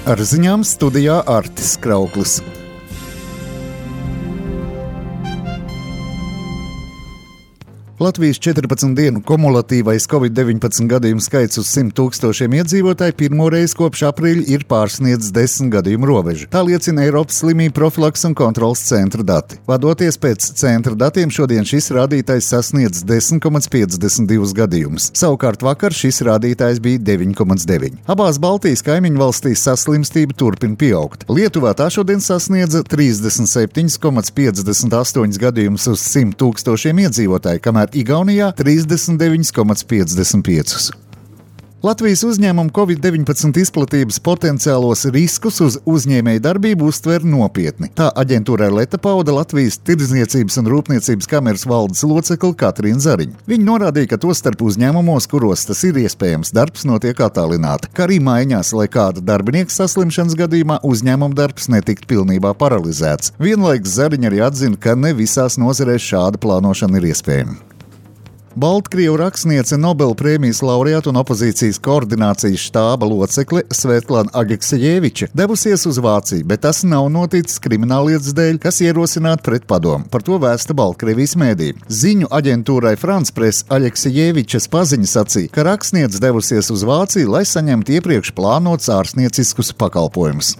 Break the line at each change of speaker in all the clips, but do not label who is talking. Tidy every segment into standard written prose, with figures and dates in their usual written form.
Ar ziņām studijā Artis Krauklis. Latvijas 14 dienu kumulatīvais Covid-19 gadījumu skaits uz 100 000 iedzīvotāju pirmoreiz kopš aprīļa ir pārsniedzis 10 gadījumu robežu. Tā liecina Eiropas slimību profilakses un kontroles centra dati. Vadoties pēc centra datiem, šodien šis rādītājs sasniedz 10,52 gadījumus. Savukārt vakar šis rādītājs bija 9,9. Abās Baltijas kaimiņu valstīs saslimstība turpina pieaugt. Lietuvā tā šodien sasniedza 37,58 gadījumus uz 100 000 iedzīvotāju, kamēr Igaunijā 39,55. Latvijas uzņēmumu Covid-19 izplatības potenciālos riskus uz uzņēmēju darbību uztver nopietni. Tā aģentūrai Leta pauda Latvijas Tirdzniecības un Rūpniecības kameras valdes locekle Katrīna Zariņa. Viņa norādīja, ka tostarp uzņēmumos, kuros tas ir iespējams, darbs notiek attālināti, kā arī maiņās, lai kāda darbinieka saslimšanas gadījumā uzņēmuma darbs netiktu pilnībā paralizēts. Vienlaikus Zariņa arī atzina, ka ne visās nozarēs šāda plānošana ir iespējama. Baltkrievu rakstniece Nobela prēmijas laureāta un opozīcijas koordinācijas štāba locekle Svetlana Aleksijeviča devusies uz Vāciju, bet tas nav noticis krimināllietas dēļ, kas ierosināta pret padomu. Par to vēsta Baltkrievijas mēdī. Ziņu aģentūrai France Press Aleksijevičas paziņa sacīja, ka rakstniece devusies uz Vāciju, lai saņemtu iepriekš plānotus ārstnieciskus pakalpojumus.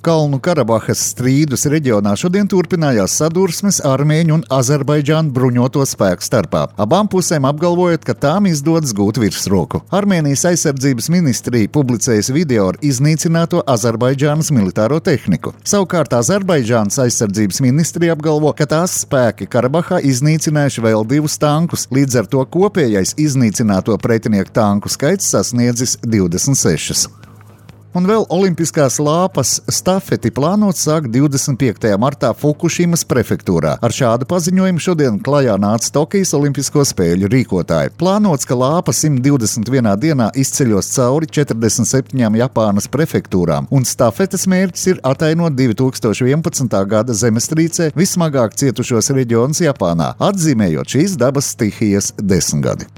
Kalnu Karabahas strīdus reģionā šodien turpinājās sadursmes Armēņu un Azerbaidžānu bruņoto spēku starpā. Abām pusēm apgalvojot, ka tām izdodas gūt virsroku. Armēnijas aizsardzības ministrija publicējas video ar iznīcināto Azerbaidžānas militāro tehniku. Savukārt Azerbaidžānas aizsardzības ministrija apgalvo, ka tās spēki Karabahā iznīcinājuši vēl 2 tankus, līdz ar to kopējais iznīcināto pretinieku tanku skaits sasniedzis 26. Un vēl olimpiskās lāpas stafeti plānots sākt 25. martā Fukušimas prefektūrā. Ar šādu paziņojumu šodien klajā nāca Tokijas olimpisko spēļu rīkotāji. Plānots, ka lāpa 121 dienā izceļos cauri 47 Japānas prefektūrām, un stafetes mērķis ir atainot 2011. gada zemestrīcē vismagāk cietušos reģionus Japānā, atzīmējot šīs dabas stihijas 10 gadi.